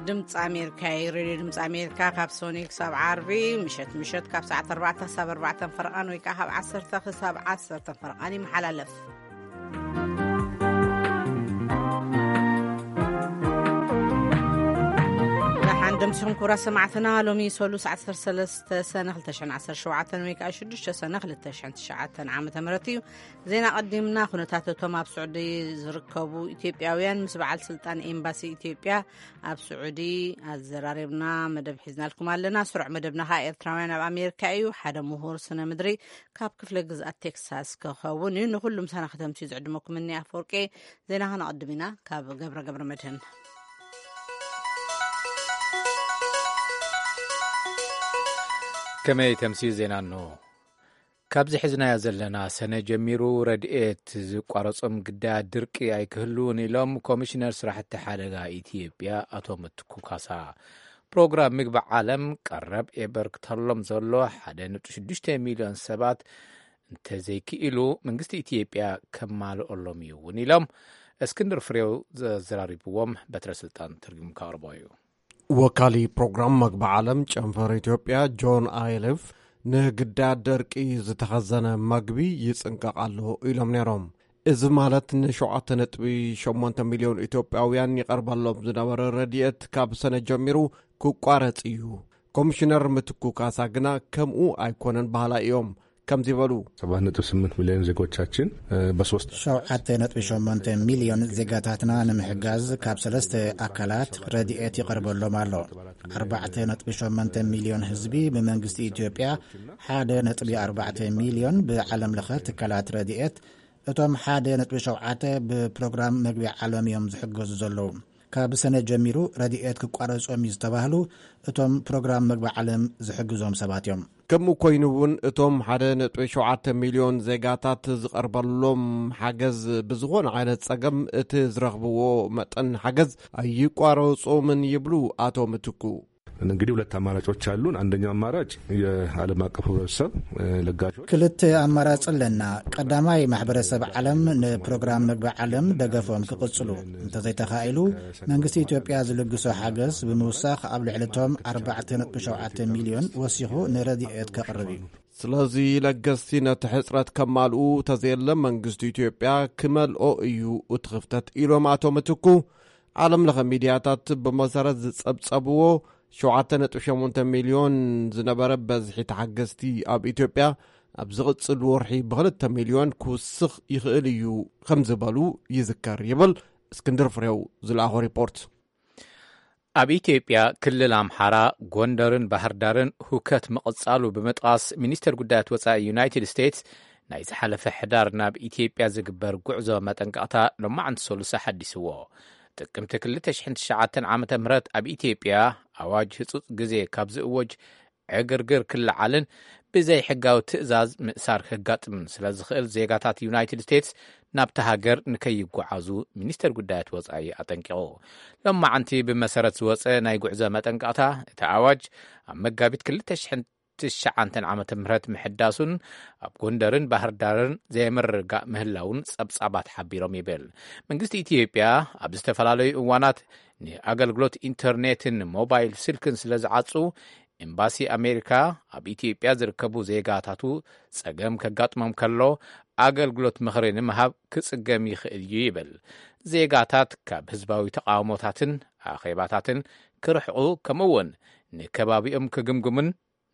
ድምፂ ኣሜሪካ እዩ። ሬድዮ ድምፂ ኣሜሪካ ካብ ሶኒ ክሳብ ዓርቢ ምሸት ምሸት ካብ ሰዓት ኣርባዕተ ክሳብ ኣርባዕተ ፈረቓን ወይ ከዓ ካብ ዓሰርተ ክሳብ ዓሰርተ ፈረቓን ይመሓላለፍ። ደሓን ደምሲኹም ክቡራት ሰማዕትና። ሎሚ ሰሉስ ዓሰርተ ሰለስተ ሰነ ክልተ ሽሕን ዓሰርተ ሸውዓተን ወይ ከዓ ሽዱሽተ ሰነ ክልተ ሽሕን ትሽዓተን ዓመተ ምህረት እዩ። ዜና ቀዲምና። ኩነታት እቶም ኣብ ስዑዲ ዝርከቡ ኢትዮጵያውያን ምስ በዓል ስልጣን ኤምባሲ ኢትዮጵያ ኣብ ስዑዲ ኣዘራሪብና መደብ ሒዝናልኩም ኣለና። ስሩዕ መደብና ከዓ ኤርትራውያን ኣብ ኣሜሪካ እዩ። ሓደ ምሁር ስነ ምድሪ ካብ ክፍለ ግዝኣት ቴክሳስ ክኸውን እዩ። ንኩሉ ምሳና ከተምስዩ ዝዕድመኩም እኒ ኣፈወርቂ። ዜና ከነቐድም ኢና ካብ ገብረ ገብረ መድህን። ከመይ ተምስዩ ዜና እንሆ። ካብዚ ሒዝናዮ ዘለና ሰነ ጀሚሩ ረድኤት ዝቋረጾም ግዳያት ድርቂ ኣይክህልውን ኢሎም ኮሚሽነር ስራሕቲ ሓደጋ ኢትዮጵያ ኣቶ ምትኩ ካሳ። ፕሮግራም ምግቢ ዓለም ቀረብ የበርክተሎም ዘሎ ሓደ ነጥቢ ሽዱሽተ ሚልዮን ሰባት እንተዘይክኢሉ መንግስቲ ኢትዮጵያ ከማልኦሎም እዩ እውን ኢሎም። እስክንድር ፍሬው ዘዘራሪብዎም በትረ ስልጣን ተርጉሙ ከቕርቦ እዩ። ወካሊ ፕሮግራም መግቢ ዓለም ጨንፈር ኢትዮጵያ ጆን ኣይልፍ ንግዳያት ደርቂ ዝተኸዘነ መግቢ ይጽንቀቕ ኣሎ ኢሎም ነይሮም። እዚ ማለት ንሸውዓተ ነጥቢ ሸሞንተ ሚልዮን ኢትዮጵያውያን ይቐርበሎም ዝነበረ ረድኤት ካብ ሰነ ጀሚሩ ክቋረጽ እዩ። ኮሚሽነር ምትኩ ካሳ ግና ከምኡ ኣይኮነን በሃላይ እዮም። ከምዚ በሉ። ሰባት ነጥብ ስምንት ሚልዮን ዜጎቻችን በሶስት ሸውዓተ ነጥቢ ሸሞንተ ሚልዮን ዜጋታትና ንምሕጋዝ ካብ ሰለስተ ኣካላት ረድኤት ይቐርበሎም ኣሎ። ኣርባዕተ ነጥቢ ሸሞንተ ሚልዮን ህዝቢ ብመንግስቲ ኢትዮጵያ፣ ሓደ ነጥቢ ኣርባዕተ ሚልዮን ብዓለም ለኸ ትካላት ረድኤት፣ እቶም ሓደ ነጥቢ ሸውዓተ ብፕሮግራም መግቢ ዓለም እዮም ዝሕገዙ ዘለዉ። ካብ ሰነ ጀሚሩ ረድኤት ክቋረጾም እዩ ዝተባህሉ እቶም ፕሮግራም መግቢ ዓለም ዝሕግዞም ሰባት እዮም። ከምኡ ኮይኑ እውን እቶም ሓደ ነጥቢ ሸውዓተ ሚልዮን ዜጋታት ዝቐርበሎም ሓገዝ ብዝኾነ ዓይነት ጸገም እቲ ዝረኽብዎ መጠን ሓገዝ ኣይቋረጾምን ይብሉ ኣቶ ምትኩ። እንግዲህ ሁለት አማራጮች አሉን። አንደኛው አማራጭ የዓለም አቀፍ ህብረተሰብ ለጋሾች ክልተ ኣማራጺ ኣለና። ቀዳማይ ማሕበረሰብ ዓለም ንፕሮግራም መግቢ ዓለም ደገፎም ክቕጽሉ፣ እንተዘይተኻኢሉ መንግስቲ ኢትዮጵያ ዝልግሶ ሓገዝ ብምውሳኽ ኣብ ልዕሊ እቶም ኣርባዕተ ነጥቢ ሸውዓተ ሚልዮን ወሲኹ ንረድኤት ከቕርብ እዩ። ስለዚ ለገስቲ ነቲ ሕጽረት ከማልኡ ተዘየለ መንግስቲ ኢትዮጵያ ክመልኦ እዩ እቲ ክፍተት ኢሎም ኣቶ ምትኩ። ዓለም ለኸ ሚድያታት ብመሰረት ዝጸብጸብዎ ሸውዓተ ነጥቢ ሸሞንተ ሚልዮን ዝነበረ በዝሒ ተሓገዝቲ ኣብ ኢትዮጵያ ኣብ ዝቕጽል ወርሒ ብክልተ ሚልዮን ክውስኽ ይኽእል እዩ ከም ዝበሉ ይዝከር ይብል እስክንድር ፍሬው ዝለኣኾ ሪፖርት። ኣብ ኢትዮጵያ ክልል ኣምሓራ፣ ጎንደርን ባህር ዳርን ሁከት ምቕጻሉ ብምጥቓስ ሚኒስተር ጉዳያት ወጻኢ ዩናይትድ ስቴትስ ናይ ዝሓለፈ ሕዳር ናብ ኢትዮጵያ ዝግበር ጉዕዞ መጠንቀቕታ ሎማዕንቲ ሰሉሳ ሓዲስዎ። ጥቅምቲ ክልተ ሽሕን ትሽዓተን ዓመተ ምህረት ኣብ ኢትዮጵያ ኣዋጅ ህጹጽ ግዜ ካብ ዝእወጅ ዕግርግር ክለዓልን ብዘይ ሕጋዊ ትእዛዝ ምእሳር ከጋጥምን ስለ ዝኽእል ዜጋታት ዩናይትድ ስቴትስ ናብታ ሃገር ንከይጓዓዙ ሚኒስተር ጉዳያት ወጻኢ ኣጠንቂቑ። ሎማዕንቲ ብመሰረት ዝወጸ ናይ ጉዕዞ መጠንቀቕታ እቲ ኣዋጅ ኣብ መጋቢት ክልተ ሽሕን ትሽዓተን ዓመተ ምህረት ምሕዳሱን ኣብ ጎንደርን ባህር ዳርን ዘይምርግጋእ ምህላውን ጸብጻባት ሓቢሮም ይብል። መንግስቲ ኢትዮጵያ ኣብ ዝተፈላለዩ እዋናት ንኣገልግሎት ኢንተርኔትን ሞባይል ስልክን ስለ ዝዓጹ ኤምባሲ ኣሜሪካ ኣብ ኢትዮጵያ ዝርከቡ ዜጋታቱ ጸገም ከጋጥሞም ከሎ ኣገልግሎት ምኽሪ ንምሃብ ክጽገም ይኽእል እዩ ይብል። ዜጋታት ካብ ህዝባዊ ተቓውሞታትን ኣኼባታትን ክርሕቑ ከምኡ እውን ንከባቢኦም ክግምግሙን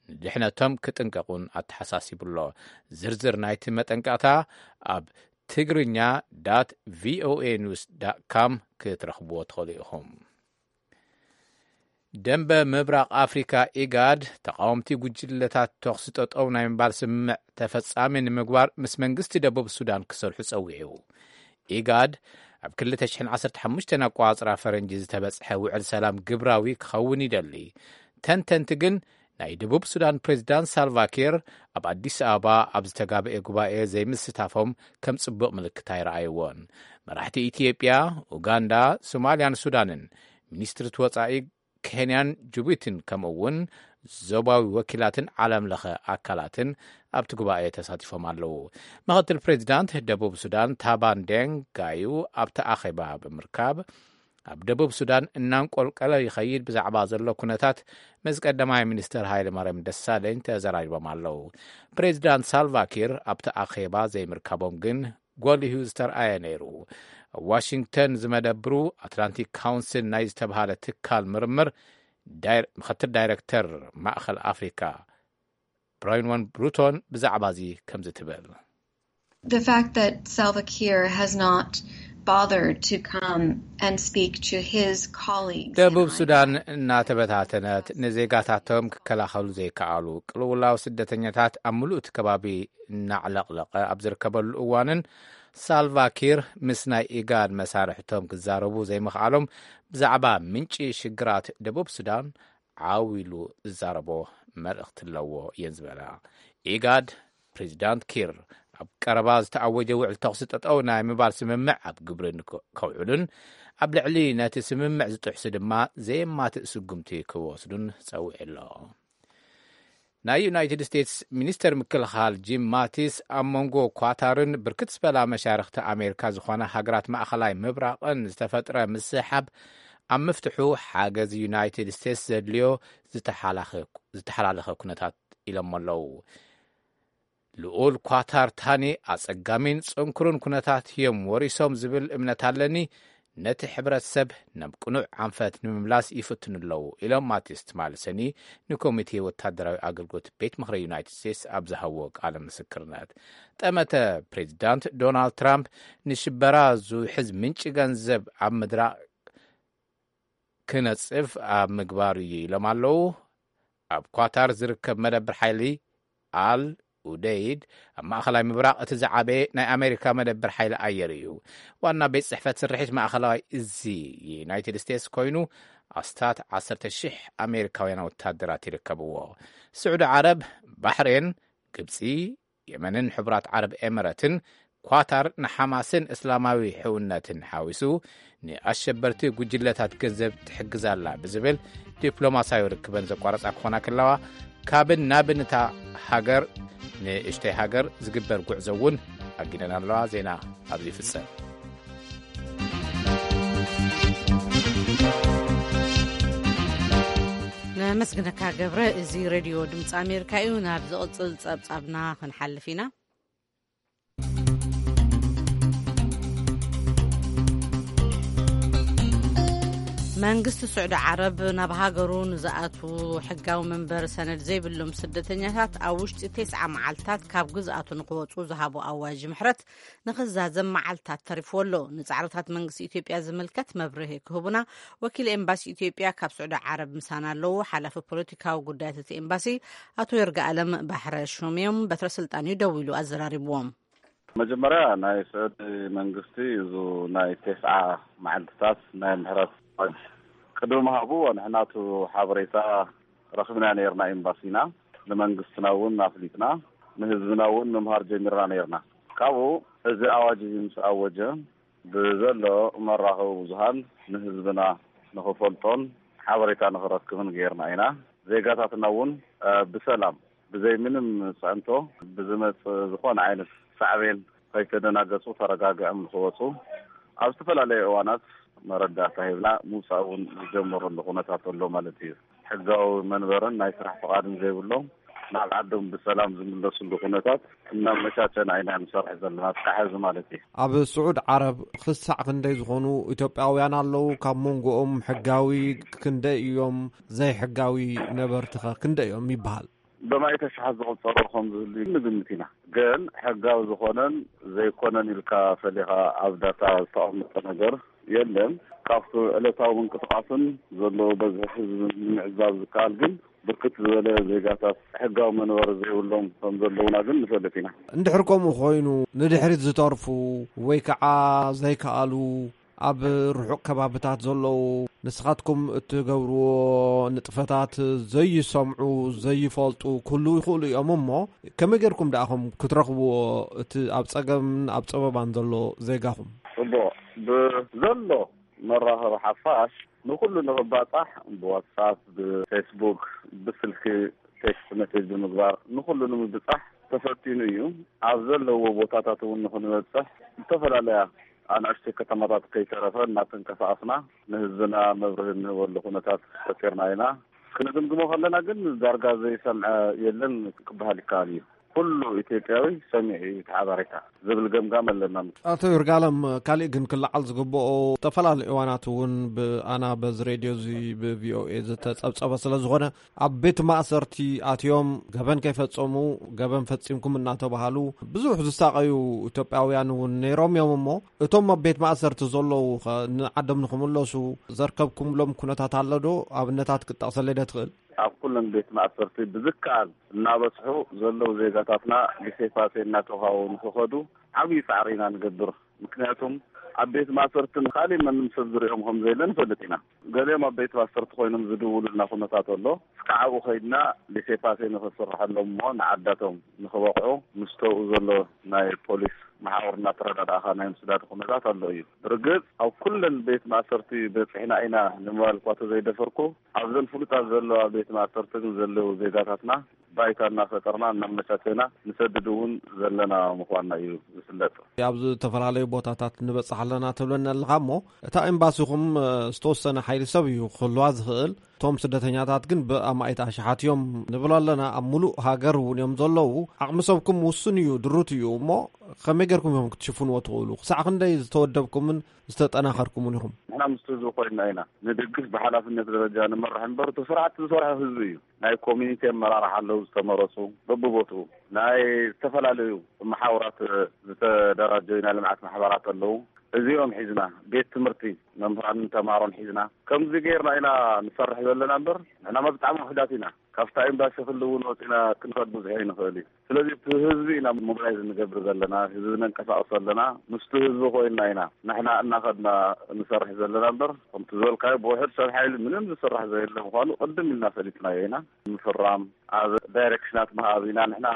ንድሕነቶም ክጥንቀቑን ኣተሓሳሲቡ ኣሎ። ዝርዝር ናይቲ መጠንቀቕታ ኣብ ትግርኛ ዳት ቪኦኤ ኒውስ ዳት ካም ክትረኽብዎ ትኽእሉ ኢኹም። ደንበ ምብራቕ ኣፍሪካ ኢጋድ ተቃወምቲ ጉጅለታት ተኹሲ ጠጠው ናይ ምባል ስምምዕ ተፈጻሚ ንምግባር ምስ መንግስቲ ደቡብ ሱዳን ክሰርሑ ጸዊዑ። ኢጋድ ኣብ ክልተ ሽሕን ዓሰርተ ሓሙሽተን ኣቋጽራ ፈረንጂ ዝተበጽሐ ውዕል ሰላም ግብራዊ ክኸውን ይደሊ። ተንተንቲ ግን ናይ ደቡብ ሱዳን ፕሬዚዳንት ሳልቫኪር ኣብ ኣዲስ ኣበባ ኣብ ዝተጋበኤ ጉባኤ ዘይምስታፎም ከም ጽቡቕ ምልክት ኣይረኣይዎን። መራሕቲ ኢትዮጵያ፣ ኡጋንዳ፣ ሶማልያን ሱዳንን ሚኒስትሪ ወጻኢ ኬንያን ጅቡቲን ከምኡ እውን ዞባዊ ወኪላትን ዓለም ለኸ ኣካላትን ኣብቲ ጉባኤ ተሳቲፎም ኣለዉ። ምክትል ፕሬዚዳንት ደቡብ ሱዳን ታባን ዴንግ ጋዩ ኣብቲ ኣኼባ ብምርካብ ኣብ ደቡብ ሱዳን እናንቆልቀለ ይኸይድ ብዛዕባ ዘሎ ኩነታት ምስ ቀዳማይ ሚኒስትር ሃይለ ማርያም ደሳለኝ ተዘራሪቦም ኣለዉ። ፕሬዚዳንት ሳልቫኪር ኣብቲ ኣኼባ ዘይምርካቦም ግን ጎሊሁ ዝተርኣየ ነይሩ። ኣብ ዋሽንግተን ዝመደብሩ ኣትላንቲክ ካውንስል ናይ ዝተብሃለ ትካል ምርምር ዳይር- ምክትል ዳይረክተር ማእኸል ኣፍሪካ ብራይንዋን ብሩቶን ብዛዕባ እዚ ከምዚ ትብል። The fact that Salva Kiir has not bothered to come and speak to his colleagues in ደቡብ ሱዳን Igad እናተበታተነት ንዜጋታቶም ክከላኸሉ ዘይከኣሉ ቅልውላው ስደተኛታት ኣብ ምሉእ እቲ ከባቢ እናዕለቕለቐ ኣብ ዝርከበሉ እዋንን ሳልቫኪር ምስ ናይ ኢጋድ መሳርሕቶም ክዛረቡ ዘይምኽኣሎም ብዛዕባ ምንጪ ሽግራት ደቡብ ሱዳን ዓው ኢሉ ዝዛረቦ መልእኽቲ ኣለዎ እየን ዝበላ። ኢጋድ ፕሬዚዳንት ኪር ኣብ ቀረባ ዝተኣወጀ ውዕል ተኹሲ ጠጠው ናይ ምባል ስምምዕ ኣብ ግብሪ ንክ- ከውዕሉን ኣብ ልዕሊ ነቲ ስምምዕ ዝጥሕሱ ድማ ዘየማትእ ስጉምቲ ክወስዱን ጸዊዑ ኣሎ። ናይ ዩናይትድ ስቴትስ ሚኒስተር ምክልኻል ጂም ማቲስ ኣብ መንጎ ኳታርን ብርክት ዝበላ መሻርኽቲ ኣሜሪካ ዝኾና ሃገራት ማእኸላይ ምብራቕን ዝተፈጥረ ምስሕሓብ ኣብ ምፍትሑ ሓገዝ ዩናይትድ ስቴትስ ዘድልዮ ዝተሓላኸ- ዝተሓላለኸ ኩነታት ኢሎሞ ኣለዉ። ልኡል ኳታር ታኒ ኣጸጋሚን ጽንኩርን ኩነታት እዮም ወሪሶም ዝብል እምነት ኣለኒ። ነቲ ሕብረተሰብ ናብ ቅኑዕ ኣንፈት ንምምላስ ይፍትኑ ኣለዉ ኢሎም ማቲስ ትማሊ ሰኒ ንኮሚቴ ወታደራዊ ኣገልግሎት ቤት ምኽሪ ዩናይትድ ስቴትስ ኣብ ዝሃብዎ ቃለ ምስክርነት። ጠመተ ፕሬዚዳንት ዶናልድ ትራምፕ ንሽበራ ዝውሕዝ ምንጪ ገንዘብ ኣብ ምድራቕ ክነጽፍ ኣብ ምግባር እዩ ኢሎም ኣለዉ። ኣብ ኳታር ዝርከብ መደብር ሓይሊ ኣል ኡደይድ ኣብ ማእኸላይ ምብራቕ እቲ ዝዓበየ ናይ ኣሜሪካ መደብር ሓይሊ ኣየር እዩ። ዋና ቤት ጽሕፈት ስርሒት ማእኸላዊ እዚ ዩናይትድ ስቴትስ ኮይኑ ኣስታት ዓሰርተ ሽሕ ኣሜሪካውያን ወታደራት ይርከብዎ። ስዑዲ ዓረብ፣ ባሕሬን፣ ግብጺ፣ የመንን ሕቡራት ዓረብ ኤምረትን ኳታር ንሓማስን እስላማዊ ሕውነትን ሓዊሱ ንኣሸበርቲ ጉጅለታት ገንዘብ ትሕግዛላ ብዝብል ዲፕሎማሲያዊ ርክበን ዘቋረጻ ክኾና ከለዋ ካብን ናብን እታ ሃገር ንእሽተይ ሃገር ዝግበር ጉዕዞ እውን ኣጊደን ኣለዋ። ዜና ኣብዚ ይፍጸም። ነመስግነካ ገብረ። እዚ ሬድዮ ድምፂ ኣሜሪካ እዩ። ናብ ዝቕፅል ፀብፃብና ክንሓልፍ ኢና። መንግስቲ ስዑዲ ዓረብ ናብ ሃገሩ ንዝኣትዉ ሕጋዊ መንበሪ ሰነድ ዘይብሎም ስደተኛታት ኣብ ውሽጢ ተስዓ መዓልታት ካብ ግዝኣቱ ንክወፁ ዝሃቦ ኣዋጅ ምሕረት ንክዛዘም መዓልታት ተሪፍዎ ኣሎ። ንፃዕርታት መንግስቲ ኢትዮጵያ ዝምልከት መብርሂ ክህቡና ወኪል ኤምባሲ ኢትዮጵያ ካብ ስዑዲ ዓረብ ምሳና ኣለዉ። ሓላፊ ፖለቲካዊ ጉዳያት እቲ ኤምባሲ ኣቶ ይርጋኣለም ባሕረ ሹም እዮም። በትረ ስልጣን እዩ ደዊሉ ኣዘራሪብዎም። መጀመርያ ናይ ስዑዲ መንግስቲ እዚ ናይ ተስዓ መዓልትታት ናይ ምሕረት ኣዋጅ ቅድሚ ምሃቡ ንሕናቱ ሓበሬታ ረኽብና ነርና። ኤምባሲና ንመንግስትና እውን ኣፍሊጥና ንህዝብና እውን ምምሃር ጀሚርና ነርና። ካብኡ እዚ ኣዋጅ እዚ ምስ ኣወጀ ብዘሎ መራኸቢ ብዙሃን ንህዝብና ንኽፈልጦን ሓበሬታ ንኽረክብን ገይርና ኢና። ዜጋታትና እውን ብሰላም ብዘይ ምንም ፅዕንቶ ብዝመፅ ዝኾነ ዓይነት ሳዕቤን ከይተደናገፁ ተረጋጊዖም ንክወፁ ኣብ ዝተፈላለዩ እዋናት መረዳእታ ሂብና ምውፃእ እውን ዝጀመረሉ ኩነታት ኣሎ ማለት እዩ። ሕጋዊ መንበርን ናይ ስራሕ ፍቓድን ዘይብሎም ናብ ዓዶም ብሰላም ዝምለስሉ ኩነታት እናመቻቸና ኢና ንሰርሕ ዘለና እስካብ ሕዚ ማለት እዩ። ኣብ ስዑድ ዓረብ ክሳዕ ክንደይ ዝኾኑ ኢትዮጵያውያን ኣለዉ? ካብ መንጎኦም ሕጋዊ ክንደይ እዮም? ዘይሕጋዊ ነበርትኸ ክንደይ እዮም ይበሃል? ብማእተ ሽሓት ዝቑጸሩ ከም ዝህሉ ንግምት ኢና። ግን ሕጋዊ ዝኾነን ዘይኮነን ኢልካ ፈሊኻ ኣብ ዳታ ዝተቐመጠ ነገር የለን። ካብቲ ዕለታዊ ምንቅስቓስን ዘለዎ በዝሒ ህዝቢ ንምዕዛብ ዝከኣል ግን ብርክት ዝበለ ዜጋታት ሕጋዊ መንበሪ ዘይብሎም ከም ዘለዉና ግን ንፈልጥ ኢና። እንድሕር ከምኡ ኮይኑ ንድሕሪት ዝተርፉ ወይ ከዓ ዘይከኣሉ ኣብ ርሑቕ ከባብታት ዘለዉ ንስኻትኩም እትገብርዎ ንጥፈታት ዘይሰምዑ ዘይፈልጡ ክህልዉ ይኽእሉ እዮም። እሞ ከመይ ጌርኩም ደኣኹም ክትረኽብዎ እቲ ኣብ ጸገምን ኣብ ጸበባን ዘሎ ዜጋኹም? ጽቡቕ፣ ብዘሎ መራኸቢ ሓፋሽ ንኹሉ ንኽባጻሕ ብዋትሳፕ፣ ብፌስቡክ፣ ብስልኪ ቴክስት መሴጅ ብምግባር ንኹሉ ንምብጻሕ ተፈቲኑ እዩ። ኣብ ዘለዎ ቦታታት እውን ንኽንበጽሕ ዝተፈላለያ ኣናእሽተይ ከተማታት ከይተረፈ እናተንቀሳቐስና ንህዝብና መብርሂ እንህበሉ ኩነታት ፈጢርና ኢና። ክንግምግሞ ከለና ግን ዳርጋ ዘይሰምዐ የለን ክበሃል ይከኣል እዩ። ኩሉ ኢትዮጵያዊ ሰሚዑ እዩ እቲ ሓበሬታ ዝብል ገምጋም ኣለና። ኣቶ ይርጋለም፣ ካሊእ ግን ክለዓል ዝግብኦ፣ ዝተፈላለዩ እዋናት እውን ብኣና በዚ ሬድዮ እዚ ብቪኦኤ ዝተጸብጸበ ስለ ዝኾነ፣ ኣብ ቤት ማእሰርቲ ኣትዮም ገበን ከይፈጸሙ፣ ገበን ፈጺምኩም እናተባሃሉ ብዙሕ ዝሳቐዩ ኢትዮጵያውያን እውን ነይሮም እዮም። እሞ እቶም ኣብ ቤት ማእሰርቲ ዘለዉ ኸ ንዓዶም ንኽምለሱ ዘርከብኩምሎም ኩነታት ኣሎ ዶ? ኣብነታት ክትጠቕሰለይ ዶ ትኽእል? ኣብ ኩለን ቤት ማእሰርቲ ብዝከኣል እናበጽሑ ዘለዉ ዜጋታትና ብሴፋሴ እናተውሃቡ ንኽኸዱ ዓብዪ ጻዕሪ ኢና ንገብር። ምክንያቱም ኣብ ቤት ማእሰርቲ ንኻሊእ መንም ሰብ ዝሪኦም ከም ዘየለ ንፈልጥ ኢና። ገሊኦም ኣብ ቤት ማእሰርቲ ኮይኖም ዝድውሉልና ኩነታት ኣሎ። እስካዕ ኣብኡ ከይድና ብሴፋሴ ንኽስርሐሎም እሞ ንዓዳቶም ንኽበቕዑ ምስ ተውኡ ዘሎ ናይ ፖሊስ መሓውር እናተረዳዳእኻ ናይ ምስዳድ ኩነታት ኣሎ እዩ። ብርግጽ ኣብ ኩለን ቤት ማእሰርቲ በጺሕና ኢና ንምባል እኳ ተዘይደፈርኩ፣ ኣብዘን ፍሉጣት ዘለዋ ቤት ማእሰርቲ ግን ዘለዉ ዜጋታትና ባይታ እናፈጠርና እናመቻቸና ንሰድድ እውን ዘለና ምዃንና እዩ ዝፍለጥ። ኣብ ዝተፈላለዩ ቦታታት ንበጽሕ ኣለና ትብለና ኣለኻ እሞ፣ እታ ኤምባሲኹም ዝተወሰነ ሓይሊ ሰብ እዩ ክህልዋ ዝኽእል። እቶም ስደተኛታት ግን ብኣማኢት ኣሽሓት እዮም ንብል ኣለና። ኣብ ሙሉእ ሃገር እውን እዮም ዘለዉ። ዓቕሚ ሰብኩም ውሱን እዩ፣ ድሩት እዩ። እሞ ከመይ ጌርኩም እዮም ክትሽፍንዎ ትኽእሉ? ክሳዕ ክንደይ ዝተወደብኩምን ዝተጠናኸርኩምን ኢኹም? ንሕና ምስቲ ህዝቢ ኮይንና ኢና ንድግፍ፣ ብሓላፍነት ደረጃ ንመርሕ እምበር፣ እቲ ስራሕቲ ዝሰርሖ ህዝቢ እዩ። ናይ ኮሚኒቲ ኣመራርሓ ኣለዉ ዝተመረጹ በብቦትኡ፣ ናይ ዝተፈላለዩ መሓውራት ዝተደራጀዩ ናይ ልምዓት ማሕበራት ኣለዉ። እዚኦም ሒዝና፣ ቤት ትምህርቲ መምህራንን ተምሃሮን ሒዝና፣ ከምዚ ጌርና ኢና ንሰርሕ ዘለና እምበር፣ ንሕናማ ብጣዕሚ ውሑዳት ኢና። ካብታ ኤምባሲ ክልውን ወፂና ክንኸድ ብዙሕ ኣይንኽእል እዩ። ስለዚ እቲ ህዝቢ ኢና ሞቢላይዝ እንገብር ዘለና፣ ህዝቢ ነንቀሳቕሶ ኣለና፣ ምስቲ ህዝቢ ኮይንና ኢና ንሕና እናኸድና ንሰርሕ ዘለና እምበር፣ ከምቲ ዝበልካዮ ብውሑድ ሰብ ሓይሊ ምንም ዝስራሕ ዘየለ ምዃኑ ቅድም ኢልና ፈሊጥናዮ ኢና። ምፍራም፣ ኣብ ዳይሬክሽናት ምሃብ ኢና ንሕና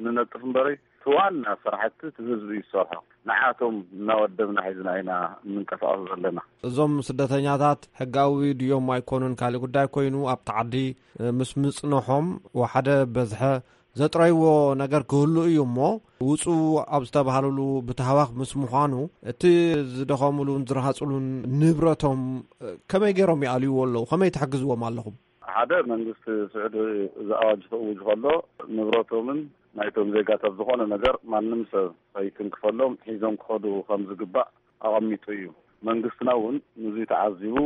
ንነጥፍ እምበረይ፣ እቲ ዋና ስራሕቲ እቲ ህዝቢ እዩ ዝሰርሖ። ንዓቶም እናወደብና ሒዝና ኢና እንንቀሳቐስ ዘለና። እዞም ስደተኛታት ሕጋዊ ድዮም ኣይኮኑን ካልእ ጉዳይ ኮይኑ፣ ኣብቲ ዓዲ ምስ ምጽንሖም ወሓደ በዝሐ ዘጥረይዎ ነገር ክህሉ እዩ እሞ፣ ውጹ ኣብ ዝተባህልሉ ብታህዋኽ ምስ ምዃኑ፣ እቲ ዝደኸምሉን ዝረሃጽሉን ንብረቶም ከመይ ገይሮም ይኣልይዎ ኣለዉ? ከመይ ትሕግዝዎም ኣለኹም? ሓደ መንግስቲ ስዑዲ እዚ ኣዋጅ ክእውጅ ከሎ ንብረቶምን ናይቶም ዜጋታት ዝኾነ ነገር ማንም ሰብ ከይትንክፈሎም ሒዞም ክኸዱ ከም ዝግባእ ኣቐሚጡ እዩ። መንግስትና እውን ንዙይ ተዓዚቡ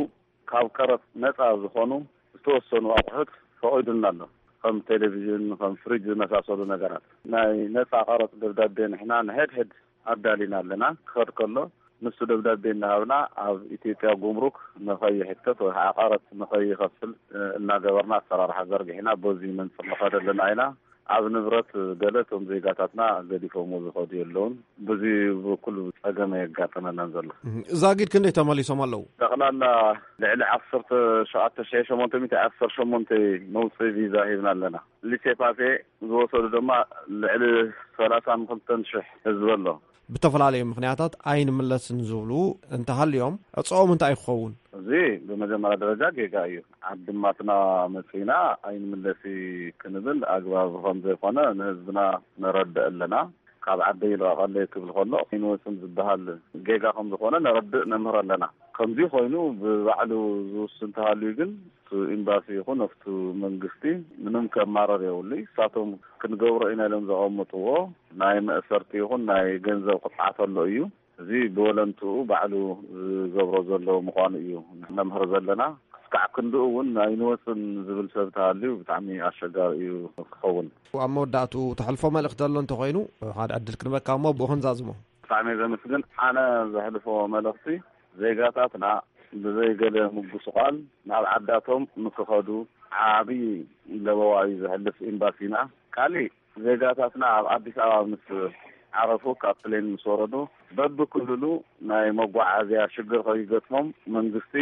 ካብ ቀረጽ ነጻ ዝኾኑ ዝተወሰኑ ኣቑሑት ፈቒዱልና ኣሎ። ከም ቴሌቪዥን፣ ከም ፍሪጅ ዝመሳሰሉ ነገራት። ናይ ነጻ ቀረጽ ደብዳቤ ንሕና ንሕድሕድ ኣዳሊና ኣለና። ክኸድ ከሎ ንሱ ደብዳቤ እናሃብና ኣብ ኢትዮጵያ ጉምሩክ ንኸይሕተት ወይ ከዓ ቀረጽ ንኸይኸፍል፣ እ፣ እናገበርና ኣሰራርሓ ዘርጊሕና በዚ መንፅር ንኸድ ኣለና ኢና። ኣብ ንብረት ገለ እቶም ዜጋታትና ገዲፎምዎ ዝኸዱ የለውን። በዚ በኩል ጸገም ኣየጋጠመናን ዘሎ። እም፣ ዛጊድ ክንደይ ተመሊሶም ኣለዉ? ጠቕላላ ልዕሊ ዓሰርተ ሸውዓተ ሺሕ ሸሞንተ ሚእቲ ዓሰርተ ሸሞንተ መውፅኢ ቪዛ ሂብና ኣለና። ሊሴ ፓሴ ዝወሰዱ ድማ ልዕሊ ሰላሳን ክልተን ሽሕ ህዝቢ ኣሎ። ብተፈላለዩ ምኽንያታት ኣይንምለስን ዝብሉ እንተሃልዮም፣ ዕፅኦም እንታይ ክኸውን? እዚ ብመጀመርያ ደረጃ ጌጋ እዩ። ዓዲ ማትና መፂና ኣይንምለሲ ክንብል ኣግባብ ከም ዘይኮነ ንህዝብና ነረድእ ኣለና። ካብ ዓደይ ልቐቐለይ ክብል ከሎ ኣይንወፅን ዝበሃል ጌጋ ከም ዝኾነ ነረድእ፣ ነምህር ኣለና። ከምዚ ኮይኑ ብባዕሉ ዝውስን እንተሃልዩ ግን እቲ ኤምባሲ ይኹን ኣብቲ መንግስቲ ምንም ከማረር የብሉ። እሳቶም ክንገብሮ ኢና ኢሎም ዘቐምጥዎ ናይ መእሰርቲ ይኹን ናይ ገንዘብ ቅፅዓት ኣሎ እዩ። እዚ ብወለንትኡ ባዕሉ ዝገብሮ ዘሎ ምዃኑ እዩ ነምህር ዘለና። ክስካዕ ክንድኡ እውን ኣይንወፅን ዝብል ሰብ ተሃልዩ ብጣዕሚ ኣሸጋሪ እዩ ክኸውን። ኣብ መወዳእትኡ ተሕልፎ መልእኽቲ ዘሎ እንተኾይኑ ሓደ ዕድል ክንበካ እሞ ብኡ ክንዛዝሞ። ብጣዕሚ እየ ዘመስግን። ኣነ ዘሕልፎ መልእኽቲ ዜጋታትና ብዘይ ገለ ምጉስቋል ናብ ዓዳቶም ንክኸዱ ዓብዪ ለበዋ እዩ ዘሕልፍ ኤምባሲና። ካሊእ ዜጋታትና ኣብ ኣዲስ ኣበባ ምስ ዓረፉ፣ ካብ ፕሌን ምስ ወረዱ፣ በብክልሉ ናይ መጓዓዝያ ሽግር ከይገጥሞም መንግስቲ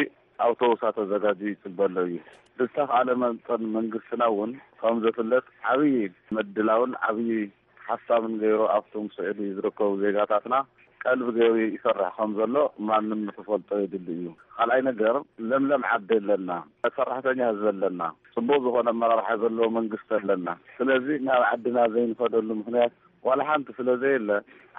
ኣውቶቡሳት ኣዘጋጅዩ ይፅበ ኣሎ እዩ። ብዝተኻእለ መጠን መንግስትና እውን ከም ዝፍለጥ ዓብዪ ምድላውን ዓብዪ ሓሳብን ገይሩ ኣብቶም ስዑዲ ዝርከቡ ዜጋታትና ቀልቢ ገይሩ ይሰርሕ ከም ዘሎ ማንም ንክፈልጦ የድሊ እዩ። ካልኣይ ነገር ለምለም ዓዲ ኣለና፣ ሰራሕተኛ ህዝቢ ኣለና፣ ፅቡቅ ዝኾነ ኣመራርሓ ዘለዎ መንግስቲ ኣለና። ስለዚ ናብ ዓድና ዘይንኸደሉ ምኽንያት ዋላ ሓንቲ ስለ ዘየለ፣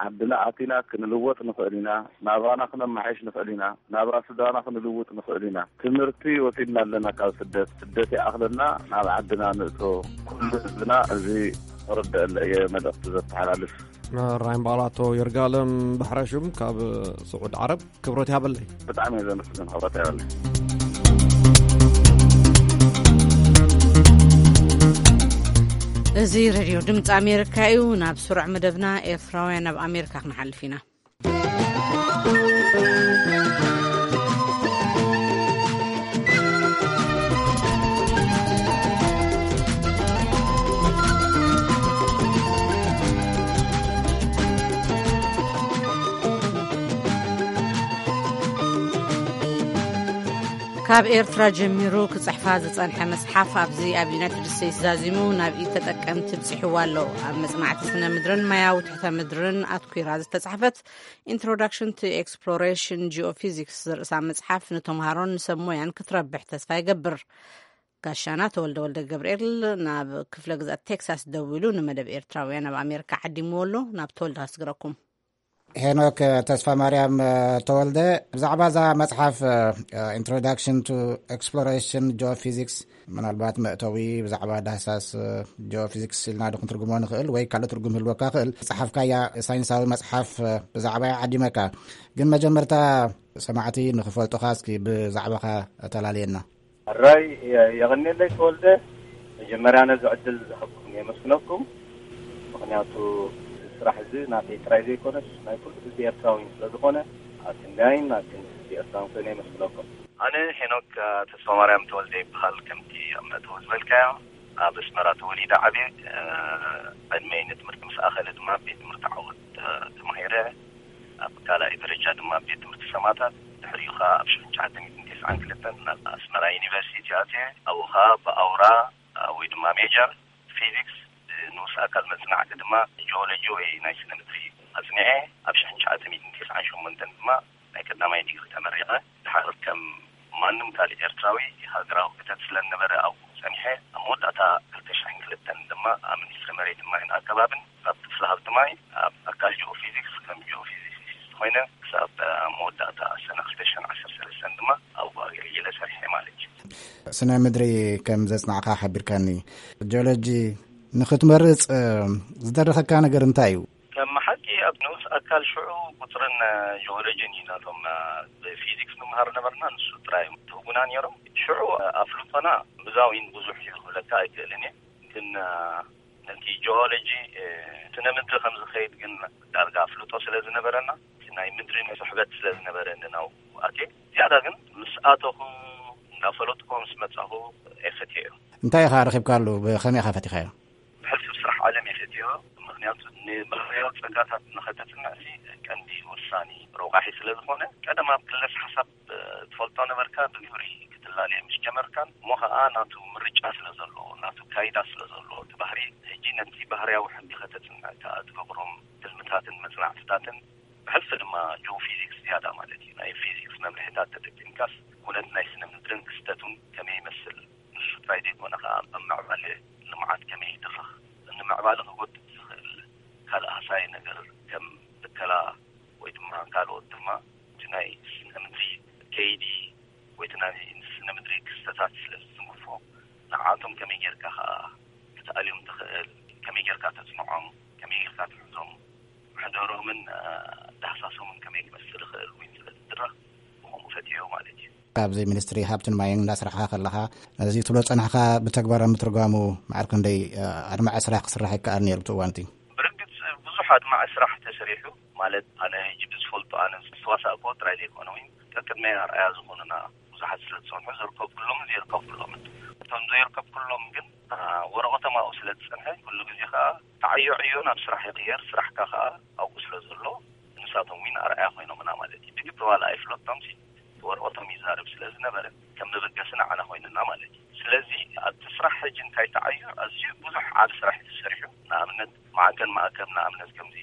ዓድና ኣቲና ክንልወጥ ንኽእል ኢና፣ ናብራና ክነመሓይሽ ንኽእል ኢና፣ ናብራ ስድራና ክንልውጥ ንኽእል ኢና። ትምህርቲ ወሲድና ኣለና ካብ ስደት። ስደት ይኣኽለና፣ ናብ ዓድና ንእቶ። ኩሉ ህዝብና እዚ ክርደአለ እየ መልእኽቲ ዘተሓላልፍ። ራይም ባላቶ ይርጋለም ባሕረሹም ካብ ስዑድ ዓረብ። ክብረት ይሃበለይ። ብጣዕሚ እየ ዘመስግን። ክብረት ይሃበለይ። እዚ ሬድዮ ድምፂ ኣሜሪካ እዩ። ናብ ስሩዕ መደብና ኤርትራውያን ኣብ ኣሜሪካ ክንሓልፍ ኢና። ካብ ኤርትራ ጀሚሩ ክጽሕፋ ዝጸንሐ መጽሓፍ ኣብዚ ኣብ ዩናይትድ ስቴትስ ዛዚሙ ናብ ኢድ ተጠቀምቲ ብጺሕዋ ኣሎ። ኣብ መጽናዕቲ ስነ ምድርን ማያዊ ትሕተ ምድርን ኣትኲራ ዝተጻሕፈት Introduction to Exploration Geophysics ዝርእሳ መጽሓፍ ንተምሃሮን ንሰብ ሞያን ክትረብሕ ተስፋ ይገብር። ጋሻና ተወልደ ወልደ ገብርኤል ናብ ክፍለ ግዛት ቴክሳስ ደዊሉ ንመደብ ኤርትራውያን ኣብ ኣሜሪካ ዓዲምዎ ኣሎ። ናብ ተወልደ ኣስግረኩም። ሄኖክ ተስፋ ማርያም ተወልደ፣ ብዛዕባ እዛ መጽሓፍ Introduction to Exploration Geophysics፣ ምናልባት መእተዊ ብዛዕባ ዳህሳስ ጂኦፊዚክስ ኢልና ዶ ክንትርጉሞ ንኽእል ወይ ካልእ ትርጉም ህልወካ ክእል፣ ዝጸሓፍካያ ሳይንሳዊ መጽሓፍ ብዛዕባያ ዓዲመካ። ግን መጀመርታ ሰማዕቲ ንኽፈልጡኻ እስኪ ብዛዕባኻ ተላለየና። ሕራይ፣ የ- የቐንየለይ ተወልደ። መጀመርያ ነዚ ዕድል ዝሃብኩም የመስግነኩም። ምኽንያቱ እዚ ስራሕ እዚ ናተይ ጥራይ ዘይኮነስ ናይ ኩሉ ህዝቢ ኤርትራዊ ስለ ዝኾነ፣ ኣብ ክንዳይን ኣብ ክንዲ ህዝቢ ኤርትራዊ ኮይነ የመስግነኩም። ኣነ ሄኖክ ተስፋማርያም ተወልደ ይበሃል። ከምቲ ኣብ መእተዊ ዝበልካዮ፣ ኣብ ኣስመራ ተወሊደ ዓብየ። ዕድመይ ንትምህርቲ ምስ ኣኸለ ድማ ቤት ትምህርቲ ዓወት ተማሂረ። ኣብ ካልኣይ ደረጃ ድማ ቤት ትምህርቲ ሰማታት፣ ድሕሪኡ ኸኣ ኣብ ሽሕን ትሽዓተ ሚእትን ተስዓን ክልተን ናብ ኣስመራ ዩኒቨርሲቲ ኣትየ። ኣብኡ ኸኣ ብኣውራ ወይ ድማ ሜጀር ፊዚክስ፣ ንኡስ ኣካል መጽናዕቲ ድማ ጂኦሎጂ ወይ ናይ ስነ ምድሪ ኣጽኒዐ። ኣብ ሽሕን ትሽዓተ ሚእትን ተስዓን ሸሞንተን ድማ ናይ ቀዳማይ ዲግሪ ተመሪቐ። ድሓር ከም ማንም ካልእ ኤርትራዊ ሃገራዊ ክተት ስለ ዝነበረ ኣብኡ ጸኒሐ። ኣብ መወዳእታ ክልተ ሽሕን ክልተን ድማ ኣብ ሚኒስትሪ መሬትን ማይን ኣከባብን ኣብ ክፍሊ ሃብቲ ማይ ኣብ ኣካል ጂኦፊዚክስ ከም ጂኦፊዚሲስት ኮይነ ክሳብ መወዳእታ ሰነ ክልተ ሽሕን ዓሰርተ ሰለስተን ድማ ኣብኡ ኣገልጊለ ጸኒሐ ማለት እዩ። ስነ ምድሪ ከም ዘጽናዕካ ሓቢርካኒ። ጂኦሎጂ ንኽትመርጽ ዝደረኸካ ነገር እንታይ እዩ? ከም ሓቂ ኣብ ንኡስ ኣካል ሽዑ ቁጽርን ጂኦሎጂን እዩ ናቶም ብፊዚክስ ንመሃር ነበርና፣ ንሱ ጥራይ እዮም ትህቡና ነይሮም። ሽዑ ኣፍልጦና ብዛዊን ብዙሕ እዩ ክብለካ ኣይክእልን እየ፣ ግን ነቲ ጂኦሎጂ ስነ ምድሪ ከም ዝኸይድ ግን ዳርጋ ኣፍልጦ ስለ ዝነበረና፣ እቲ ናይ ምድሪ ስሕበት ስለ ዝነበረኒ ናብኡ ኣትየ። ዝያዳ ግን ምስ ኣተኹ እንዳፈለጥኩ ምስ መጻኹ እፈትዮ። እንታይ ኢኻ ረኺብካሉ? ብኸመይ ኢኻ ፈቲኻዮ? ብሕልፊ ስራሕ ዓለም እየ ፈትዮ። ምኽንያቱ ንባህርያዊ ጸጋታት ንኸተጽንዕ እዚ ቀንዲ ወሳኒ ረቋሒ ስለ ዝኾነ፣ ቀደም ኣብ ክለስ ሓሳብ ትፈልጦ ነበርካ፣ ብግብሪ ክትላለዮ ምስ ጀመርካን እሞ ኸኣ ናቱ ምርጫ ስለ ዘለዎ፣ ናቱ ካይዳ ስለ ዘለዎ፣ እቲ ባህሪ ሕጂ ነቲ ባህርያዊ ሕጊ ከተጽንዕ ከኣ ትገብሮም ትልምታትን መጽናዕትታትን፣ ብሕልፊ ድማ ጂኦፊዚክስ ዝያዳ ማለት እዩ። ናይ ፊዚክስ መምርሒታት ተጠቂምካስ ኩነት ናይ ስነ ምድርን ክስተቱን ከመይ ይመስል፣ ንሱ ጥራይ ዘይኮነ ከኣ ኣብ ምዕባለ ልምዓት ከመይ ይድርኽ፣ ንምዕባለ ክጎድእ ዝኽእል ካልእ ሃሳዪ ነገር ከም ብከላ ወይ ድማ ካልኦት ድማ እቲ ናይ ስነ ምድሪ ከይዲ ወይ እቲ ናይ ስነ ምድሪ ክስተታት ስለ ዝትንክፎ፣ ንዓቶም ከመይ ጌርካ ከኣ ክትኣልዮም ትኽእል፣ ከመይ ጌርካ ተጽንዖም፣ ከመይ ጌርካ ትሕዞም፣ ምሕደሮምን ዳህሳሶምን ከመይ ክመስል ይኽእል እውን ስለ ዝድረኽ ብኸምኡ ፈትዮ ማለት እዩ። ካብዚ ሚኒስትሪ ሃብትን ማይን እንዳስራሕካ ከለኻ፣ ነዚ ትብሎ ጸናሕካ ብተግባር ኣብ ምትርጓሙ መዓር ክንደይ ኣድማዒ ስራሕ ክስራሕ ይከኣል ነይሩ ብቲ እዋን እቲ? ብርግጽ ብዙሕ ኣድማዒ ስራሕ ተሰሪሑ። ማለት ኣነ ሕጂ ብዝፈልጦ ኣነ ዝተዋሳእኮ ጥራይ ዘይኮነ እውን ቀቅድመይ ኣርኣያ ዝኾኑና ብዙሓት ስለ ዝጸንሑ ዝርከብ ኩሎም ዘይርከብ ኩሎምን። እቶም ዘይርከብ ኩሎም ግን ወረቐቶም ኣብኡ ስለ ዝጸንሐ ኩሉ ግዜ ከኣ ተዓዮ ዕዮ ናብ ስራሕ ይቕየር፣ ስራሕካ ከኣ ኣብኡ ስለ ዘሎ ንሳቶም እውን ኣርኣያ ኮይኖምና ማለት እዩ። ብግብሪ ዋላ ኣይፍለጦም ሲ ወረቐቶም ይዛረብ ስለ ዝነበረ ከም መበገሲ ንዓና ኮይኑና ማለት እዩ። ስለዚ ኣብቲ ስራሕ ሕጂ እንታይ ተዓዩ ኣዝዩ ብዙሕ ዓቢ ስራሕ እዩ ተሰሪሑ። ንኣብነት ማዕከን ማእከብ ንኣብነት ከምዚ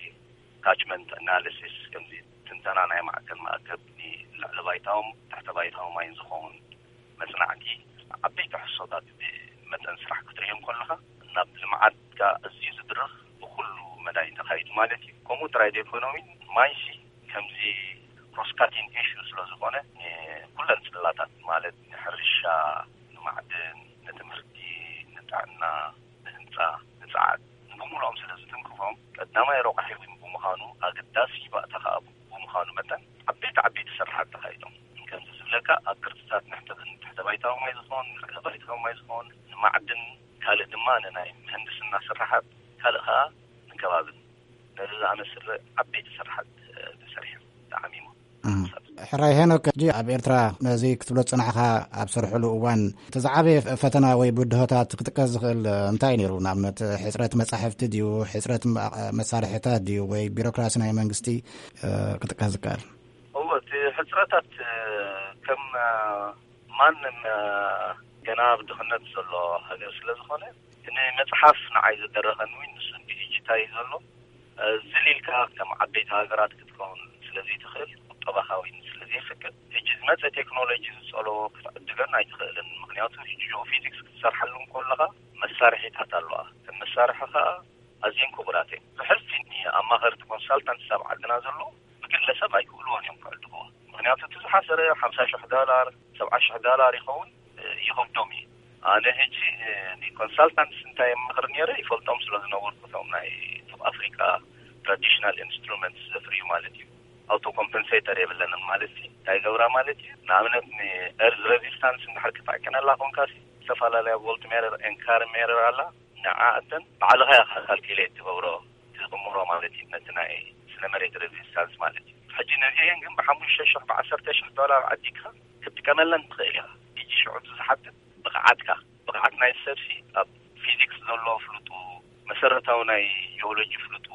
ካችመንት ኣናሊሲስ ከምዚ ትንተና ናይ ማዕከን ማእከብ ንልዕሊ ባይታዎም ትሕተ ባይታዊ ማይን ዝኸውን መጽናዕቲ ዓበይቲ ሕሶታት ብመጠን ስራሕ ክትርእዮም ከለኻ ናብ ልምዓትካ ኣዝዩ ዝድርኽ ብኩሉ መዳይ ተኻይዱ ማለት እዩ። ከምኡ ጥራይ ዶ ኢኮኖሚ ማይሲ ከምዚ cross cutting issue ስለ ዝኾነ፣ ኩለን ጽላታት ማለት ንሕርሻ፣ ንማዕድን፣ ንትምህርቲ፣ ንጥዕና፣ ንህንጻ፣ ንጸዓት፣ ንብሙሉኦም ስለ ዝትንክፎም፣ ቀዳማይ ረቋሒ እውን ብምዃኑ፣ ኣገዳሲ ባእታ ከኣ ብምዃኑ መጠን፣ ዓበይቲ ዓበይቲ ስራሓት ተኻይዶም። ከምዚ ዝብለካ፣ ኣብ ቅርጽታት ንሕተ-፣ ንትሕተ ባይታዊ ማይ ዝኾን፣ ንልዕሊ ባይታዊ ማይ ዝኾን፣ ንማዕድን፣ ካልእ ድማ ንናይ ምህንድስና ስራሓት፣ ካልእ ከኣ ንከባብን፣ ነዚ ዝኣመስል ዓበይቲ ስራሓት ተሰሪሑ ተዓሚሙ። ሕራይ ሄኖክ፣ ሕጂ ኣብ ኤርትራ ነዚ ክትብሎ ዝጸናሕካ ኣብ ሰርሕሉ እዋን፣ እቲ ዝዓበየ ፈተና ወይ ብድሆታት ክጥቀስ ዝኽእል እንታይ ነይሩ? ንኣብነት፣ ሕጽረት መጻሕፍቲ ድዩ? ሕጽረት መ-፣ መሳርሕታት ድዩ? ወይ ቢሮክራሲ ናይ መንግስቲ፣ እ፣ ክጥቀስ ዝከኣል? እዎ፣ እቲ ሕጽረታት፣ እ፣ ከም፣ እ፣ ማንም፣ እ፣ ገና ኣብ ድኽነት ዘሎ ሃገር ስለ ዝኾነ፣ እቲ ንመጽሓፍ ንዓይ ዝደረኸኒ እውን ንሱ ዲጂታይ ዘሎ። እዚ ኢልካ ከም ዓበይቲ ሃገራት ክትከውን ስለዘይትኽእል፣ ቁጠባኻ እውን ስለዘይፈቅድ፣ ሕጂ ዝመጸ ቴክኖሎጂ ዝጸለዎ ክትዕድገን ኣይትኽእልን። ምኽንያቱ ሕጂ ጂኦፊዚክስ ክትሰርሓሉ እንከለኻ መሳርሒታት ኣለዋ። እተን መሳርሒ ኸኣ ኣዝየን ክቡራት እየን። ዝሕልፊ ንኣማኸርቲ ኮንሳልታንትስ ኣብ ዓድና ዘለዉ ብግለሰብ ኣይክእልዎን እዮም ክዕድግዎ። ምኽንያቱ እቲ ዝሓሰረ ሓምሳ ሽሕ ዶላር፣ ሰብዓ ሽሕ ዶላር ይኸውን፣ እ፣ ይኸብዶም እዩ። ኣነ ሕጂ፣ እ፣ ንኮንሳልታንትስ እንታይ የማኽር ነይረ ይፈልጦም ስለ ዝነበርኩ፣ እቶም ናይ ቱብ ኣፍሪቃ ትራዲሽናል ኢንስትሩመንትስ ዘፍርዩ ማለት እዩ። ኣውቶ ኮምፐንሴተር የብለንን ማለት እዩ። እንታይ ገብራ ማለት እዩ? ንኣብነት ንኤርዝ ሬዚስታንስ እንድሕር ክትዕቅነላ ኮንካ፣ ዝተፈላለያ ቮልት ሜረር ኤንካር ሜረር ኣላ። ንዓኣተን ባዕልኻ ኢኻ ካልኩሌት ትገብሮ፣ ትቕምሮ ማለት እዩ፣ ነቲ ናይ ስነ መሬት ሬዚስታንስ ማለት እዩ። ሕጂ ነዚአን ግን ብሓሙሽተ ሽሕ ብዓሰርተ ሽሕ ዶላር ዓዲግካ ክትጥቀመለን ትኽእል ኢኻ። ሕጂ ሽዑ እቲ ዝሓትት ብቕዓትካ፣ ብቕዓት ናይ ሰብሲ ኣብ ፊዚክስ ዘሎ ፍልጡ፣ መሰረታዊ ናይ ጂኦሎጂ ፍልጡ፣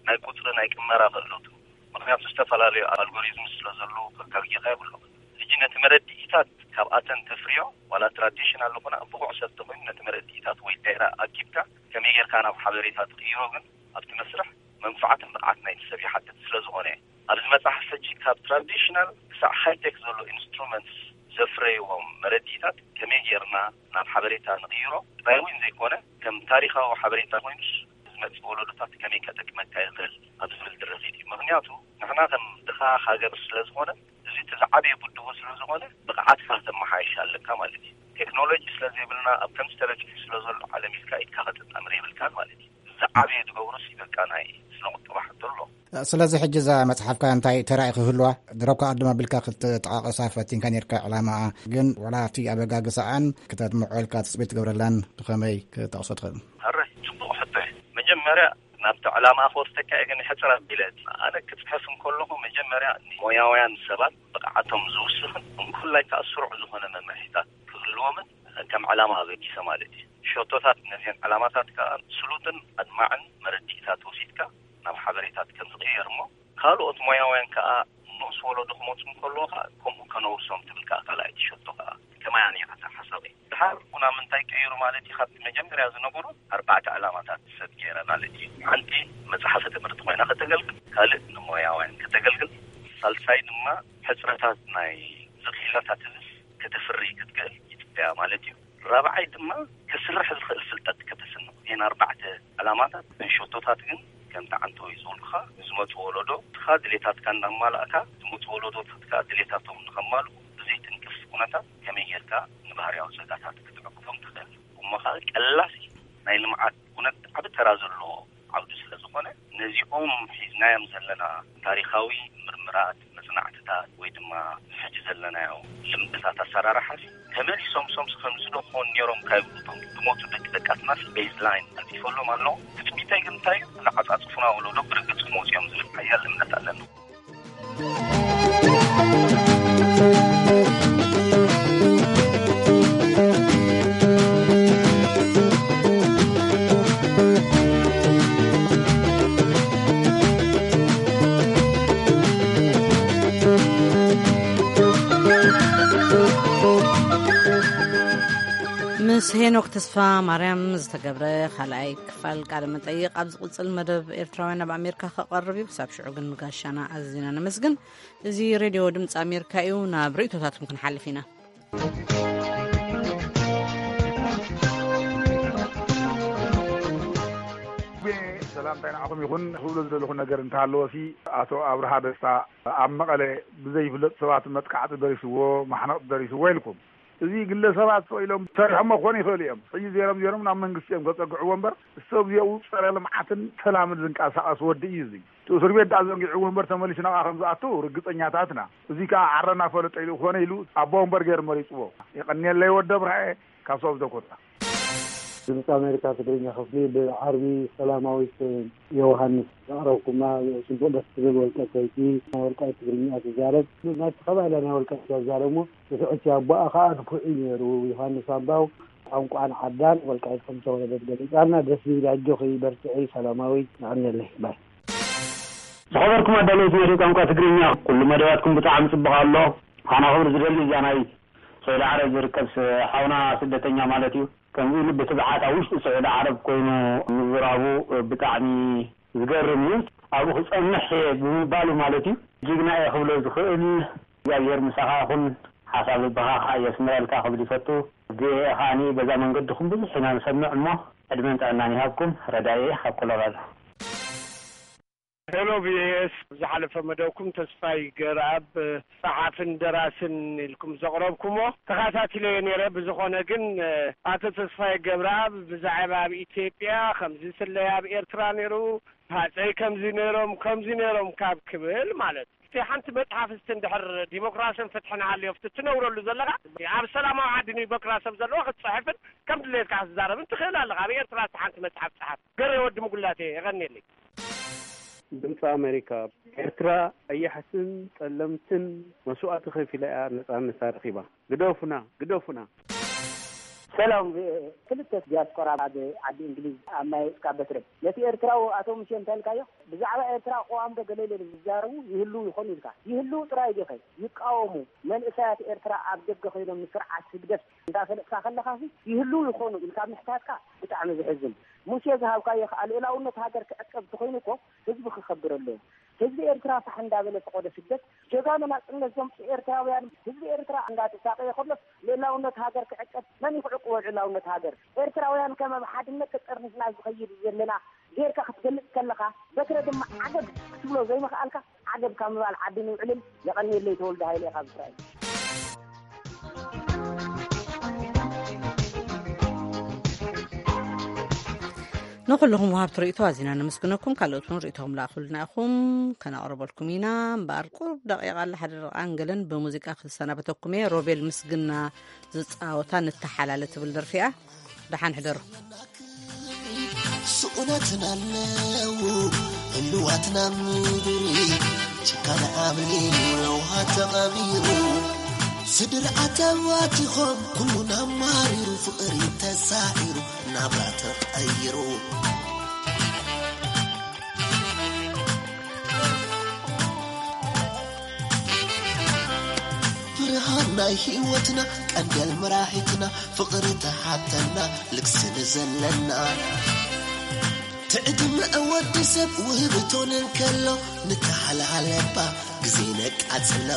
ናይ ቁጽሪ ናይ ቅመራ ክእለቱ፣ ምኽንያቱ ዝተፈላለዩ ኣልጎሪዝም ስለ ዘለዉ ከጋግየካ የብሎም። ሕጂ ነቲ መረድኢታት ካብኣተን ተፍርዮ፣ ዋላ ትራዲሽናል ዝኾነ ብቑዕ ሰብ ተኾይኑ ነቲ መረድኢታት ወይ ዳይራ ኣኪብካ ከመይ ጌርካ ናብ ሓበሬታ ትቕይሮ ግን ኣብቲ መስርሕ መንፋዓትን ብቕዓት ናይቲ ሰብ ይሓትት ስለ ዝኾነ፣ ኣብዚ መጽሓፍ ሕጂ ካብ ትራዲሽናል ክሳዕ ሃይቴክ ዘሎ ኢንስትሩመንትስ ዘፍረይዎም መረድኢታት ከመይ ጌርና ናብ ሓበሬታ ንቕይሮ ጥራይ እውን ዘይኮነ፣ ከም ታሪኻዊ ሓበሬታ ኮይኑስ ዝመጽእ ወለዶታት ከመይ ከጠቅመካ ይኽእል ኣብ ዝብል ድረኺት እዩ። ምኽንያቱ ንሕና ከም ድኻ ሃገር ስለ ዝኾነ፣ እዚ እቲ ዝዓበየ ብድሆ ስለ ዝኾነ፣ ብቕዓትካ ከተመሓይሽ ኣለካ ማለት እዩ። ቴክኖሎጂ ስለ ዘይብልና፣ ኣብ ከምዚ ተበጺሑ ስለ ዘሎ ዓለም ኢልካ ኢድካ ከተጣምር የብልካን ማለት እዩ። ዝዓበየ ዝገብሮስ በቃ ናይ ስነ ቁጠባ ሕቶ ኣሎ። ስለዚ ሕጂ እዛ መጽሓፍካ እንታይ ተራኢ ክህልዋ? ድሮካ ቅድም ኣቢልካ ክትጠቓቐሳ ፈቲንካ ኔርካ ዕላማኣ፣ ግን ዋላ ኣብቲ ኣበጋግሳኣን ክተድምዖ ኢልካ ትጽቢት ትገብረላን ብኸመይ ክጠቕሶ ትኽእል? ሕራይ፣ ጽቡቕ ሕቶ እዩ። መጀመርያ ናብቲ ዕላማ ክወስደካ እየ፣ ግን ሕጽር ኣቢለ፣ ኣነ ክጽሕፍ እንከለኹ መጀመርያ ንሞያውያን ሰባት ብቕዓቶም ዝውስኽን እንኮላይ ከኣ ስሩዕ ዝኾነ መምርሒታት ክህልዎምን ከም ዕላማ ኣበጊሰ ማለት እዩ። ሸቶታት ነዚአን ዕላማታት ከኣ ስሉጥን ኣድማዕን መረዲእታት ወሲድካ ናብ ሓበሬታት ከም ዝቕየር እሞ፣ ካልኦት ሞያውያን ከኣ ንኡስ ወለዶ ክመጹ እንከለዉ ከኣ ከምኡ ከነውርሶም ትብል ከኣ ካልኣይቲ ሸቶ ከኣ ከማይ ኣነ እየ ሓሳበይ። ድሓር ኩና ምንታይ ቀይሩ ማለት እዩ፣ ካብቲ መጀመርያ ዝነበሩ ኣርባዕተ ዕላማታት ሰት ገይረ ማለት እዩ። ሓንቲ መጽሓፈ ትምህርቲ ኮይና ከተገልግል፣ ካልእ ንሞያውያን ከተገልግል፣ ሳልሳይ ድማ ሕጽረታት ናይ ዝኽኢላታት ህዝብ ከተፍሪ ክትክእል ይጽበያ ማለት እዩ። ራብዓይ ድማ ክስራሕ ዝኽእል ፍልጠት ከተስንቕ። እተን ኣርባዕተ ዕላማታት፣ ሸቶታት ግን ከምቲ ዓንተወይ ዝበልኩኻ ንዝመጽእ ወለዶ፣ ንስኻ ድሌታትካ እንዳማላእካ ዝመጽእ ወለዶታት ከኣ ድሌታቶም ንኸማልኡ ብዘይትንክፍ ኩነታት ከመይ ጌርካ ንባህርያዊ ጸጋታት ክትዕቅቦም ትኽእል? እሞ ኸኣ ቀላሲ ናይ ልምዓት ኩነት ዓቢ ተራ ዘለዎ ዓውዲ ስለ ዝኾነ፣ ነዚኦም ሒዝናዮም ዘለና ታሪኻዊ ምርምራት፣ መጽናዕትታት ወይ ድማ ሕጂ ዘለናዮ ልምድታት ኣሰራርሓ ተመሊሶም ሶምስ ከምዚ ዶ ክኾኑ ነይሮም ካብ እቶም ዝሞቱ ደቂ ደቃትና ቤዝላይን ኣንጺፈሎም ኣለዉ። ትጽቢተይ ግን እንታይ እዩ? ንዓጻጽፉና ወለዶ ብርግጽ ክመጹ እዮም ዝብል ሓያል እምነት ኣለኒ። ምስ ሄኖክ ተስፋ ማርያም ዝተገብረ ካልኣይ ክፋል ቃለ መጠይቕ ኣብ ዝቕጽል መደብ ኤርትራውያን ኣብ ኣሜሪካ ክቐርብ እዩ። ክሳብ ሽዑ ግን ንጋሻና ኣዚና ነመስግን። እዚ ሬድዮ ድምፂ ኣሜሪካ እዩ። ናብ ርእይቶታትኩም ክንሓልፍ ኢና። ሰላምታይ ንዓኹም ይኹን። ክብሎ ዝደለኹ ነገር እንተሃለወሲ፣ ኣቶ ኣብርሃ ደስታ ኣብ መቐለ ብዘይፍለጥ ሰባት መጥቃዕቲ ደሪስዎ፣ ማሕነቕ ደሪስዎ ኢልኩም። እዚ ግለሰባት ስቕ ኢሎም ሰሪሖሞ ክኾኑ ይኽእሉ እዮም። ሕጂ ዜሮም ዜሮም ናብ መንግስቲ እዮም ከጸግዕዎ እምበር፣ ሰብ ዚኡ ጸረ ልምዓትን ሰላምን ዝንቀሳቐስ ወዲ እዩ። እዚ እቲ እስር ቤት ደኣ ዘንጊዕዎ እምበር፣ ተመሊሱ ናብኣ ከም ዝኣቱ ርግጸኛታትና። እዚ ከኣ ዓረና ፈለጦ ኢሉ ክኾነ ኢሉ ኣቦ ወንበር ገይሩ መሪጽዎ። የቐንየለይ ወዲ ኣብርሃ፣ ካብ ሰውብ ዘኮታ። ድምፂ ኣሜሪካ ትግርኛ ክፍሊ፣ ብዓርቢ ሰላማዊት ዮሃንስ ዘቕረብኩማ ጽቡቕ ደስ ትብል ወልቀ ሰይቲ፣ ናይ ወልቃይት ትግርኛ ትዛረብ። ናብቲ ከባቢ ናይ ወልቃይት እያ ትዛረብ እሞ፣ እቲ ሕጂ ኣቦኣ ከዓ ንፉዕ እዩ ነይሩ። ዮሃንስ ኣምባው ቋንቋን ዓዳን ወልቃይት ከም ዝተወለደት ገሊጻልና። ደስ ዝብል፣ ኣጆኺ በርትዒ ሰላማዊት፣ የቐንየለይ። ባይ። ዝኸበርኩም ኣዳለውቲ መደብ ቋንቋ ትግርኛ፣ ኩሉ መደባትኩም ብጣዕሚ ጽቡቕ ኣሎ። ኣነ ክብሪ ዝደሊ እዛ ናይ ስዑዲ ዓረብ ዝርከብ ስ-፣ ሓውና ስደተኛ ማለት እዩ። ከምኡ ኢሉ ብትብዓት ኣብ ውሽጢ ስዑዲ ዓረብ ኮይኑ ምዝራቡ ብጣዕሚ ዝገርም እዩ። ኣብኡ ክጸንሕ እየ ብምባሉ ማለት እዩ። ጅግና እየ ክብሎ ዝኽእል። እግዚኣብሔር ምሳኻ ይኹን። ሓሳብ ልብኻ ከዓ የስምረልካ ክብል ይፈቱ። ብኤ ከዓኒ በዛ መንገድኹም ብዙሕ ኢና ንሰምዕ እሞ ዕድመን ጥዕናን ይሃብኩም። ረዳኢ ካብ ኮሎራዶ። ሄሎ ቪኦኤስ፣ ዝሓለፈ መደብኩም ተስፋይ ገብረኣብ ጸሓፍን ደራስን ኢልኩም ዘቕረብኩሞ ተኸታቲለዮ ነይረ። ብዝኾነ ግን፣ ኣቶ ተስፋይ ገብረኣብ ብዛዕባ ኣብ ኢትዮጵያ ከምዚ ስለይ ኣብ ኤርትራ ነይሩ፣ ሃጸይ ከምዚ ነይሮም፣ ከምዚ ነይሮም ካብ ክብል ማለት፣ እቲ ሓንቲ መጽሓፍ እስቲ እንድሕር ዲሞክራስን ፍትሕን ሃልዮ፣ እቲ ትነብረሉ ዘለኻ ኣብ ሰላማዊ ዓዲ ዲሞክራሲ ኣብ ዘለዋ ክትጽሕፍን ከም ድሌትካ ክትዛረብን ትኽእል ኣለኻ። ኣብ ኤርትራ እስቲ ሓንቲ መጽሓፍ ጸሓፍ። ገሬ ወዲ ምጉላቴ፣ የቐንየለይ። ድምፂ ኣሜሪካ። ኤርትራ ቀያሕትን ጸለምትን መስዋእቲ ከፊላ እያ ነጻነታ ረኺባ። ግደፉና፣ ግደፉና። ሰላም፣ ክልተ ዲያስፖራ ኣብ ዓዲ እንግሊዝ ኣብ ማይ ወጽካ በትረ፣ ነቲ ኤርትራዊ ኣቶ ሙሴ እንታይ ኢልካዮ? ብዛዕባ ኤርትራ ቅዋም ዶ ገለ ኢለ ዝዛረቡ ይህልው ይኾኑ ኢልካ። ይህልው ጥራይ ዲኸ? ይቃወሙ። መንእሰያት ኤርትራ ኣብ ደገ ኮይኖም ንስርዓት ህግደፍ እንዳፈለጥካ ከለኻሲ ይህልው ይኾኑ ኢልካ ምሕታትካ ብጣዕሚ ዘሕዝን። ሙሴ ዝሃብካዮ ከኣ ልእላውነት ሃገር ክዕቀብ እንተኾይኑ እኮ ህዝቢ ክኸብር ኣለዎ። ህዝቢ ኤርትራ ፋሕ እንዳበለ ፈቐዶ ስደት ጀጋኑ ናጽነት ዘምጽኡ ኤርትራውያን ህዝቢ ኤርትራ እንዳተሳቐየ ከሎስ ልእላውነት ሃገር ክዕቀብ መን እዩ ክዕቅቦ? ልእላውነት ሃገር ኤርትራውያን ከመ ብሓድነት ተጠርኒፍና ዝኸይድ ዘለና ጌርካ ክትገልጽ ከለኻ በትረ ድማ ዓገብ ክትብሎ ዘይምኽኣልካ ዓገብ ካብ ምባል ዓዲ ንውዕልን። የቐንየለይ ተወልደ ሃይለ ካብ እስራኤል። ንኹልኹም ወሃብቲ ርእይቶ ኣዚና ነመስግነኩም። ካልኦት እውን ርእይቶኹም ላእኹልና ኢኹም፣ ከነቕርበልኩም ኢና። እምበኣር ቁሩብ ደቂቓ ኣላ፣ ሓደ ደቂቓን ገለን ብሙዚቃ ክሰናበተኩም እየ። ሮቤል ምስግና ዝጻወታ ንተሓላለ ትብል ደርፊ እያ። ደሓን ሕደሩ። ስኡነትን ኣለዉ ህልዋትና ምድሪ፣ ጭካነ ዓብሊ ለውሃ ተቐቢሩ፣ ስድሪ ኣተዋቲኾም ኩሉን ኣማሪሩ፣ ፍቕሪ ተሳዒሩ ናብራ ተቐይሩ። ብርሃን ናይ ህይወትና ቀንደል መራሒትና ፍቕሪ ተሓተና ልግሲ ንዘለና ትዕድመ ወዲ ሰብ ውህብቶን እንከሎ ንተሓላለባ ግዜ ነቃጽሎ።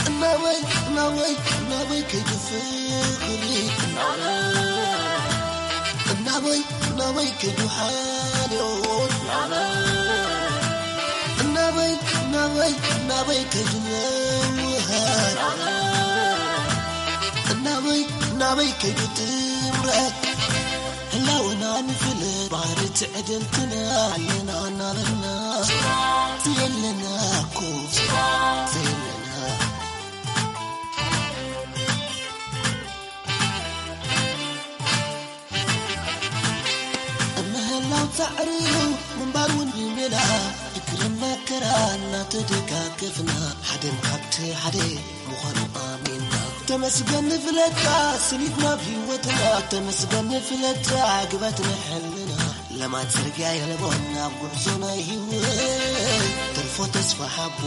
እናበይ እናበይ እናበይ ከይዱ ፍቕሪ እናበይ እናበይ ከይዱ ሓልዮት እናበይ እናበይ እናበይ ከይዱ ምውሃድ እናበይ እናበይ ከይዱ ጥምረት ህላወና ንፍለ ባህሪ ትዕድልትና ኣለና እናበልና ዘየለና እኮ ዘየለና ምህላው ጻዕሪ እዩ ምንባር እውን ሜላ ድክርን መከራ እናተደጋገፍና ሓደን ካብቲ ሓደ ምዃኑ ኣሚንና ተመስገን ንፍለጣ ስኒት ናብ ህይወትና ተመስገን ንፍለጣ ግበት ንሕልና ለማት ጽርግያ የለቦን ኣብ ጉዕዞ ናይ ህይወት ተርፎ ተስፋ ሓቦ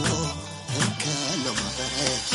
እንከሎ ማበረት